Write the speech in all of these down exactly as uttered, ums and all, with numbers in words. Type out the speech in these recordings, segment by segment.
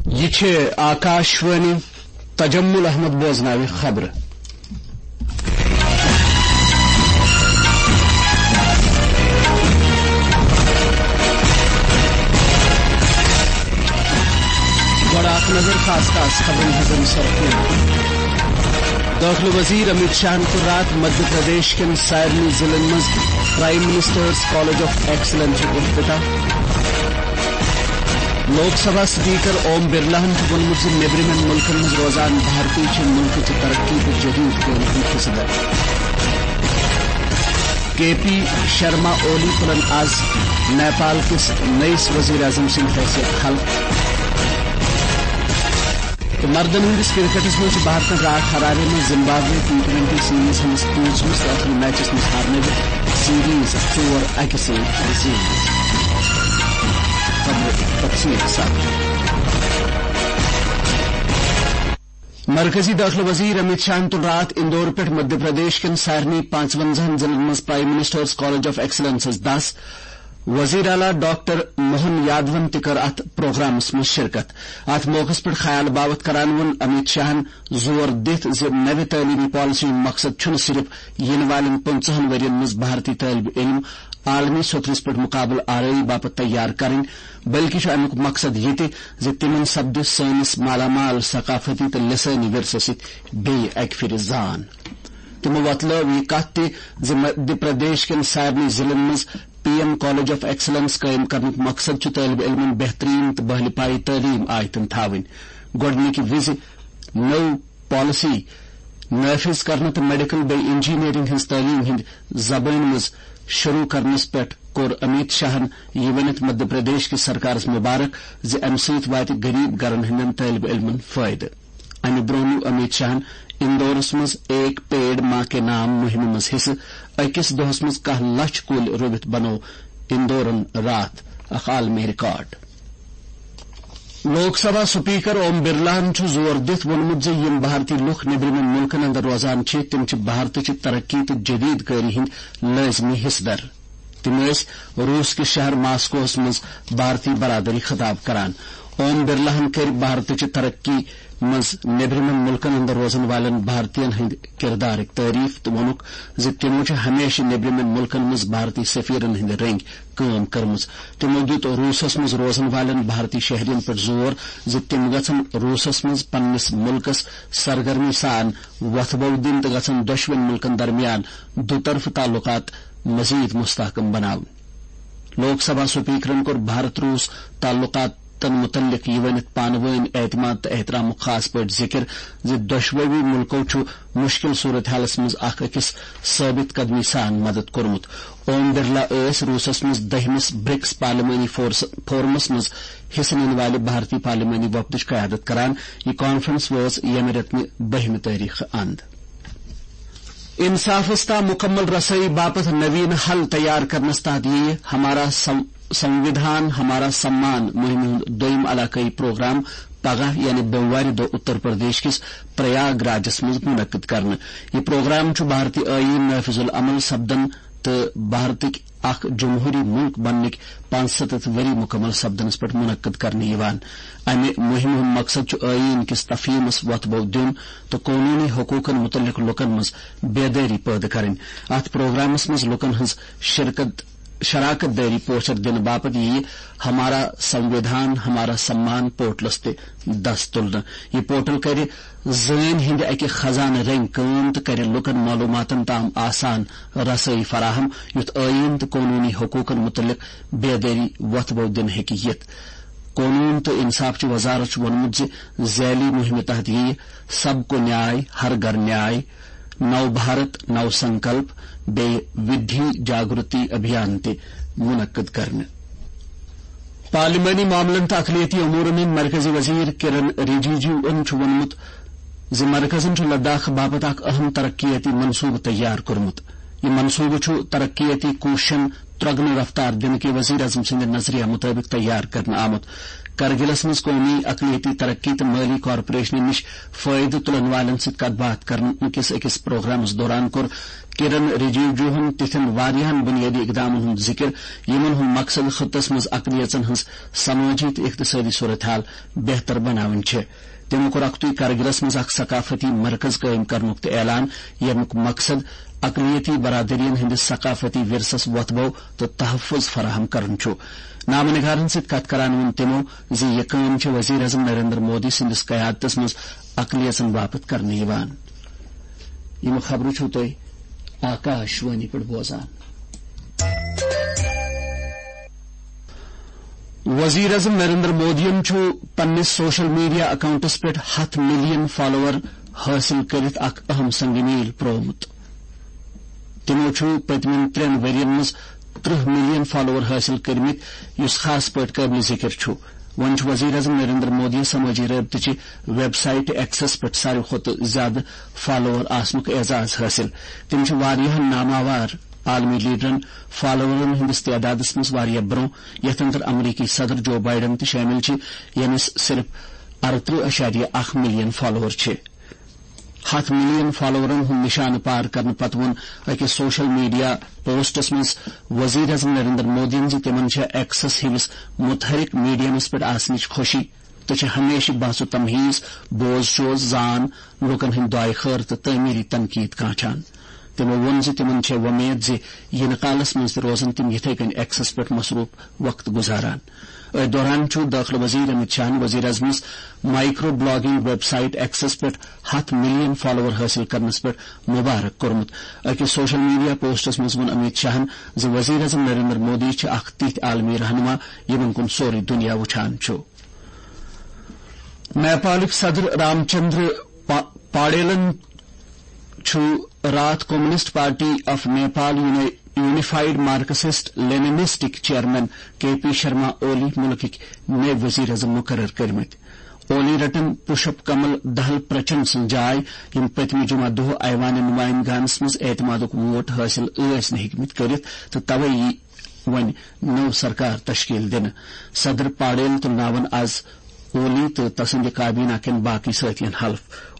یہِ چھِ آکاشوانی۔ تجمل احمد بوزناوِ خبرٕ۔ گۄڈٕ اکھ نظر خاص خاص خبرن ہٕنٛزن سرخیَن۔ دٲخلہٕ وزیر امیت شاہن کوٚر راتھ مدھیہ پردیش کٮ۪ن سارنٕے ضلعن منٛز پرائم منسٹرز کالج آف ایکسلنسُک افتتاح۔ لوک سبھا اسپیکر اوم برلاہن چھُ ووٚنمُت زِ نیبرِمٮ۪ن مُلکن منٛز روزان بھارتی چھِ مُلکٕچہِ ترقی تہٕ جدید کامہِ ہُنٛد حصہٕ دار۔ کے پی شرما اولی تُلن آز نیپال کِس نٔیِس وزیر اعظم سٕنٛدِ حیثیت حلف۔ تہٕ مردن ہٕنٛدِس کرکٹس منٛز چھِ بھارتن راتھ ہراوے منٛز زمبابوے ٹی ٹوینٹی سیریز ہٕنٛدِس پوٗنٛژمِس تہٕ ٲخری میچس منٛز ہارنٲوِتھ سیریز ژور اَکہِ سۭتۍ زیٖنمٕژ۔ خبرٕ تفصیٖل سان۔ مرکزی دٲخلہٕ وزیر امیت شاہن تُل راتھ اندور پٮ۪ٹھ مدھیہ پردیش کٮ۪ن سارنٕے پانٛژونٛزاہن ضلعن منٛز پرائم منسٹرز کالج آف ایکسلنسس دَس۔ وزیر اعلیٰ ڈاکٹر موہن یادون تہِ کٔر اتھ پروگرامس منٛز شرکت۔ اتھ موقعس پٮ۪ٹھ خیال باوتھ کران ووٚن امیت شاہن زور دِتھ زِ نوِ تعلیمی پالیسی ہُنٛد مقصد چھُنہٕ صرف یِنہٕ والٮ۪ن پٕنٛژٕہن ؤرین منٛز بھارتی طٲلب علم عالمی سطحس پٮ۪ٹھ مقابلہٕ آرٲیی باپتھ تیار کرٕنۍ، بلکہِ چھُ امیُک مقصد یہِ تہِ زِ تِمن سپدِ سٲنِس مالا مال ثقافتی تہٕ لسٲنی ورثس سۭتۍ بیٚیہِ اکہِ پھِرِ زان۔ تِمو وۄتلٲو یہِ کتھ تہِ زِ مدھیہ پردیش کٮ۪ن سارنٕے ضلعن منٛز P M college of excellence قٲیِم کرنُک مقصد چھُ طٲلب علمن بہتریٖن تہٕ بہلہِ پایہِ تعلیٖم آیتن تھاوٕنۍ۔ گۄڈٕنِکہِ وِزِ نٔو پالیسی نافذ کرنہٕ تہٕ میڈیکل بیٚیہِ انجینئرنگ ہٕنٛز تعلیٖم ہٕنٛدِ زبٲنۍ منٛز شروع کرنس پٮ۪ٹھ کوٚر امیت شاہن یہِ ؤنِتھ مدھیہ پردیش کِس سرکارس مبارک زِ امہِ سۭتۍ واتہِ غریب گرن ہٕنٛدٮ۪ن طٲلب علمن فٲیدٕ۔ امہِ برونٛہہ نیوٗ امیت شاہن اندورس منٛز ایک پیڑ ماں کے نام مُہِمہِ منٛز حصہٕ۔ أکِس دۄہس منٛز کاہ لچھ کُلۍ رُوِتھ بنوو اندورن راتھ اکھ عالمی ریکارڈ۔ لوک سبھا سپیکر اوم برلاہن چھُ زور دِتھ ووٚنمُت زِ یِم بھارتی لُکھ نیبرِمٮ۪ن مُلکن اندر روزان چھِ، تِم چھِ بھارتٕچہِ ترقی تہٕ جدید کٲری ہٕنٛدۍ لٲزمی حصہٕ دار۔ تِم ٲسۍ روٗس کِس شہر ماسکوہس منٛز بھارتی برادری خطاب کران۔ اوم برلاہن کٔرۍ بھارتٕچہِ ترقی منٛز نیبرِمٮ۪ن مُلکن اندر روزن والٮ۪ن بھارتین ہٕنٛدِ کردارٕکۍ تعریف تہٕ ووٚنُکھ زِ تِمو چھِ ہمیشہِ نیبرِمٮ۪ن مُلکن منٛز بھارتی سفیرن ہٕنٛدۍ رٔنگۍ کٲم کٔرمٕژ۔ تِمو دیُت روٗسس منٛز روزن والٮ۪ن بھارتی شہرین پٮ۪ٹھ زور زِ تِم گژھن روٗسس منٛز پننِس مُلکس سرگرمی سان وۄتھٕ بو دِنۍ تہٕ گژھن دۄشوٕنۍ مُلکن درمیان دُطرفہٕ تعلقات مزید مستحکم بناونۍ۔ لوک سبھا سپیکرن کوٚر بھارت روٗس تعلقاتن متعلق یہِ ؤنِتھ پانہٕ وٲنۍ اعتماد تہٕ احترامُک خاص پٲٹھۍ ذِکر زِ دۄشوٕے مُلکو چھُ مُشکِل صورتحالس منٛز اکھ أکِس ثٲبت قدمی سان مدد کوٚرمُت۔ اوم برلا ٲسۍ روٗسس منٛز دٔہمِس برکس پارلیمانی فورس-، فورمس منٛز حصہٕ نِنہٕ والہِ بھارتی پارلیمانی وفدٕچ قیادت کران۔ یہِ کانفرنس وٲژ ییٚمہِ رٮ۪تہٕ بٔہمہِ تٲریخہٕ اند۔ انصافس تام مکمل رسٲیی باپتھ نوین حل تیار کرنس تحت ییہِ ہمارا سم-، سنوِدھان ہمارا سمان مُہِمہِ ہُنٛد دوٚیِم علاقٲیی پروگرام پگاہ یعنی بوموارِ دۄہ اتر پردیش کِس پریاگ راجس منٛز منعقد کرنہٕ۔ یہِ پروگرام چھُ بھارتی ٲییٖن نافذ العمل سپدن تہٕ بھارتٕکۍ اکھ جمہوٗری مُلک بننٕکۍ پانٛژستتھ ؤری مُکمل سپدنس پٮ۪ٹھ منعقد کرنہٕ یِوان۔ امہِ مُہِمہِ ہُنٛد مقصد چھُ ٲییٖن کِس تفہیٖمس وۄتھ بو دیُن تہٕ قونوٗنی حقوٗقن مُتعلق لُکن منٛز بیدٲری پٲدٕ کرٕنۍ۔ اتھ پروگرامس منٛز لُکن ہٕنٛز شرکت، شراکت دٲری پوچھر دِنہٕ باپتھ یِیہِ ہمارا سنوِدھان ہمارا سمان پورٹلس تہِ دس تُلنہٕ۔ یہِ پورٹل کرِ زٲنۍ ہٕنٛدِ اکہِ خزانہٕ رٔنگۍ کٲم تہٕ کرِ لوٗکن معلوٗماتن تام آسان رسٲیی فراہم، یُتھ ٲییٖن تہٕ قونوٗنی حقوٗقن مُتعلق بیدٲری وۄتھٕ بو دِنہٕ ہیٚکہِ یِتھ۔ قونوٗن تہٕ انصافچہِ وزارت چھُ ووٚنمُت زِ ذیلی مُہِمہِ تحت یِیہِ سب کو نیائے، ہر گھر نیائے، نو بھارت نو سنکلپ بیٚیہِ ودھی جاگرتی ابھیان تہِ منعقد کرنہٕ۔ پارلیمانی معاملن تہٕ اقلیتی امورن ہٕنٛدۍ مرکزی وزیر کرن رجیجوَن چھُ ووٚنمُت زِ مرکزن چھُ لداخ باپتھ اکھ اہم ترقیاتی منصوبہٕ تیار کوٚرمُت۔ یہِ منصوبہٕ چھُ ترقیاتی کوٗششن ترۄگنہٕ رفتار دِنہٕ کہِ وزیر اعظم سٕنٛدِ نظریہ مُطٲبِق تیار کرنہٕ آمُت۔ کرگلس منٛز قومی اقلیتی ترقی تہٕ مٲلی کارپوریشنہٕ نِش فٲیدٕ تُلن والٮ۪ن سۭتۍ کتھ باتھ کرنہٕ کِس أکِس پروگرامس دوران کوٚر کرن رجیجوہن تِتھٮ۪ن واریاہن بنیٲدی اقدامن ہُنٛد ذکر، یِمن ہُنٛد مقصد خطس منٛز اقلیژن ہٕنٛز سمٲجی تہٕ اقتصٲدی صورتحال بہتر بناوٕنۍ چھِ۔ تِمو کوٚر اکتُے کرگلس منٛز اکھ ثقافتی مرکز قٲیِم کرنُک تہِ اعلان، ییٚمیُک مقصد اقلیتی برادرین ہٕنٛدِس ثقافتی ورثس وۄتھبو تہٕ تحفظ فراہم کرُن چھُ۔ نامہ نگارن سۭتۍ کتھ کران ووٚن تِمو زِ یہِ کٲم چھِ وزیر اعظم نریندر مودی سٕنٛدِس قیادتس منٛز اقلیژن باپتھ کرنہٕ یِوان۔ یِم خبرٕ چھِو تُہۍ آکاش وانی پٮ۪ٹھ بوزان۔ وزیر اعظم نریندر مودیَن چھُ پننِس سوشل میڈیا اکاؤنٹس پٮ۪ٹھ ہَتھ ملین فالوور حٲصِل کٔرِتھ اکھ اہم سنگ میل پرٛوومُت۔ تِمو چھُ پٔتمٮ۪ن ترٛٮ۪ن ؤرین منٛز ترٕٛہ ملین فالوور حٲصِل کٔرمٕتۍ، یُس خاص پٲٹھۍ قٲبلِ ذِکِر چھُ۔ وۄنۍ چھُ وزیر اعظم نریندر مودیَس سمٲجی رٲبطٕچہِ ویب سائٹ ایکسس پٮ۪ٹھ ساروی کھۄتہٕ زیادٕ فالوور آسنُک اعزاز حٲصِل۔ تِم چھِ واریاہَن ناماوار عالمی لیڈرن فالوورن ہٕنٛدِس تعدادس منٛز واریاہ برٛونٛہہ، یتھ اندر امریکی صدر جو بائیڈن تہِ شٲمِل چھِ، ییٚمِس صرف اَرترٕٛہ اَشاریہ اَکھ ملین فالوور چھِ۔ ہَتھ ملین فالوورن ہُنٛد نشانہٕ پار کرنہٕ پتہٕ ووٚن أکِس سوشل میڈیا پوسٹس منٛز وزیر اعظم نریندر مودیَن زِ تِمن چھےٚ ایکسس ہِوِس متحرک میڈیمس پٮ۪ٹھ آسنٕچ خوشی تہٕ چھِ ہمیشہٕ بحث و تمہیز، بوز شوز، زان، لوٗکن ہٕنٛدۍ دعایہِ خٲر تہٕ تعمیری تنقید کانچھان۔ تِمو ووٚن زِ تِمن چھےٚ وۄمید زِ یِنہٕ کالس منٛز تہِ روزن تِم یِتھے کٔنۍ ایکسس پٮ۪ٹھ مصروف وقت گُزاران۔ أتھۍ دوران چھُ دٲخلہٕ وزیر امیت شاہن وزیر اعظمس microblogging website access پٮ۪ٹھ ہَتھ ملین فالوور حٲصِل کرنس پٮ۪ٹھ مبارک کوٚرمُت۔ أکِس سوشل میڈیا پوسٹس منٛز ووٚن امیت شاہن زِ وزیر اعظم نریندر مودی چھِ اکھ تِتھۍ عالمی رہنما، یِمن کُن سورُے دُنیا وُچھان چھُ۔ نیپالٕکۍ صدر رام چندر پا-، پاڈیلن چھُ راتھ کمیونسٹ پارٹی آف نیپال یونی-، یونیفائیڈ مارکسسٹ لیننسٹٕکۍ chairman K P Sharma Oli مُلکٕکۍ نٔوۍ وزیر اعظم مُقرر کٔرمٕتۍ۔ اولی رَٹن پُشپ کمل دہل پرچم سٕنٛز جاے، یِم پٔتمہِ جمعہ دۄہ ایوان نمائندگانس منٛز اعتمادُک ووٹ حٲصِل ٲسۍ نہٕ ہیٚکمٕتۍ کٔرِتھ تہٕ توے یی وۄنۍ نٔو سرکار تشکیل دِنہٕ۔ صدر پاڈیل تُلناون از اولی تہٕ تسٕنٛدِ کابینہ کٮ۪ن باقٕے سٲتھین حلف۔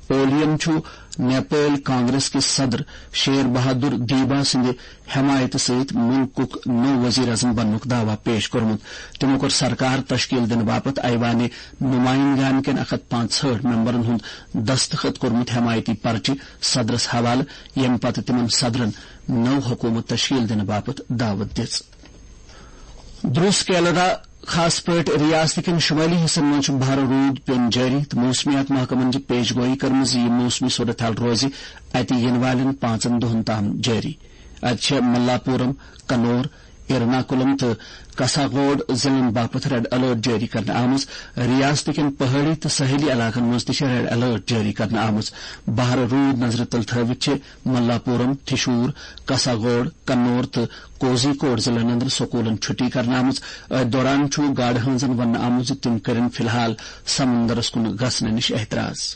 اولیَن چھُ نیپٲلۍ کانگریس کِس صدر شیر بہادر دیبا سٕنٛدِ حمایتہٕ سۭتۍ مُلکُک نوٚو وزیر اعظم بننُک دعویٰ پیش کوٚرمُت۔ تِمو کوٚر سرکار تشکیل دِنہٕ باپتھ ایوانِ نمائندگان کٮ۪ن اکھ ہتھ پانٛژہٲٹھ ممبرن ہُنٛد دستخط کوٚرمُت حمایتی پرچہِ صدرس حوالہٕ، ییٚمہِ پتہٕ تِمن صدرن نٔو حکومت تشکیل دِنہٕ باپتھ دعوت دِژ۔ درُس کیلرا، خاص پٲٹھۍ ریاست کٮ۪ن شمٲلی حصن منٛز چھُ بھرٕ روٗد پیوٚن جٲری تہٕ موسمیات محکمن چھِ پیش گویی کٔرمٕژ زِ یہِ موسمی صورتحال روزِ اتہِ یِنہٕ والٮ۪ن پانٛژن دۄہن تام جٲری۔ اتہِ چھےٚ ملاپورم، کنور، ایرناکولم تہٕ کساگوڈ ضلعن باپتھ ریڈ الرٹ جٲری کرنہٕ آمٕژ۔ ریاست کٮ۪ن پہٲڑی تہٕ ساحلی علاقن منٛز تہِ چھےٚ ریڈ الرٹ جٲری کرنہٕ آمٕژ۔ بھرٕ روٗد نظرِ تل تھٲوِتھ چھِ ملاپورم، تھشور، کساگوڈ، کنور تہٕ کوزی کوڈ ضلعن اندر سکوٗلن چھُٹی کرنہٕ آمٕژ۔ أتھۍ دوران چھُ گاڈٕ ہٲنزن وننہٕ آمُت زِ تِم کٔرِن فی الحال سمندرس کُن گژھنہٕ نِش احتراز۔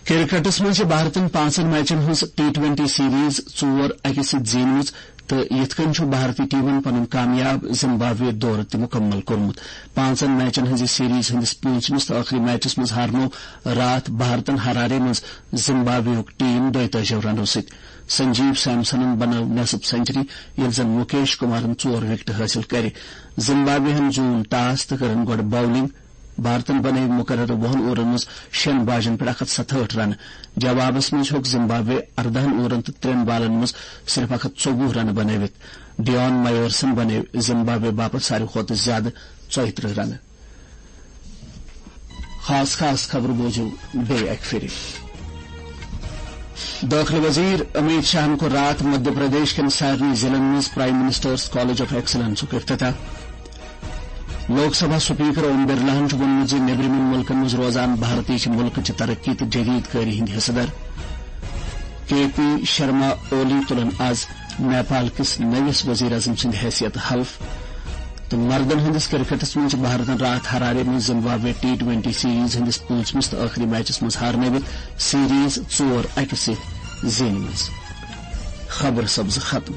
کرکٹس منٛز چھِ بھارتن پانٛژن میچن ہٕنٛز ٹی ٹوینٹی سیریز ژور اَکہِ سۭتۍ زیٖنمٕژ تہٕ یِتھ کٔنۍ چھُ بھارتی ٹیمن پنُن کامیاب زمبابوے دورٕ تہِ مُکمل کوٚرمُت۔ پانٛژن میچن ہٕنٛزِ سیریز ہٕنٛدِس پوٗنٛژمِس تہٕ ٲخری میچس منٛز ہارنوو راتھ بھارتن ہرارے منٛز زمبابویُک ٹیم دۄیتٲجی رنو سۭتۍ۔ سنجیو سیمسنن بنٲو نصف سنچری، ییٚلہِ زن مُکیش کُمارن ژور وِکٹہٕ حٲصِل کَرِ۔ زمبابوے ہن زیوٗن ٹاس تہٕ کٔرٕن گۄڈٕ باولنگ۔ بھارتن بنٲوۍ مُقررٕ وُہن اوورن منٛز شیٚن باجن پٮ۪ٹھ اکھ ہتھ ستہٲٹھ رنہٕ۔ جوابس منٛز ہیوٚک زمبابوے اردہن اوورن تہٕ ترٛٮ۪ن بالن منٛز صرف اکھ ہتھ ژوٚوُہ رنہٕ بنٲوِتھ۔ ڈیون مایورسن بنٲوۍ زمبابوے باپتھ ساروی کھۄتہٕ زیادٕ ژۄیہِ ترٕٛہ رنہٕ۔ خاص خاص خبرٕ بوٗزِو بیٚیہِ اَکہِ پھِرِ۔ دٲخلہٕ وزیر امیت شاہن کوٚر راتھ مدھیہ پردیش کٮ۪ن سارنٕے ضلعن منٛز پرائم منسٹرز کالج آف ایکسلنسُک افتتاح۔ لوک سبھا سپیکر اوم برلاہن چھُ ووٚنمُت زِ نیبرِمٮ۪ن مُلکن منٛز روزان بھارتی چھِ مُلکٕچہِ ترقی تہٕ جدید کٲری ہٕنٛدۍ حصہٕ دار۔ کے پی شرما اولی تُلن از نیپال کِس نٔوِس وزیر اعظم سٕنٛدِ حیثیت حلف۔ تہٕ مردن ہٕنٛدِس کرکٹس منٛز چھِ بھارتن راتھ ہرارے منٛز زمبابوے ٹی ٹوینٹی سیریز ہٕنٛدِس پوٗنٛژمِس تہٕ ٲخری میچس منٛز ہارنٲوِتھ سیریز ژور اَکہِ سۭتۍ زیٖنمٕژ۔ خبر سبزٕ ختم۔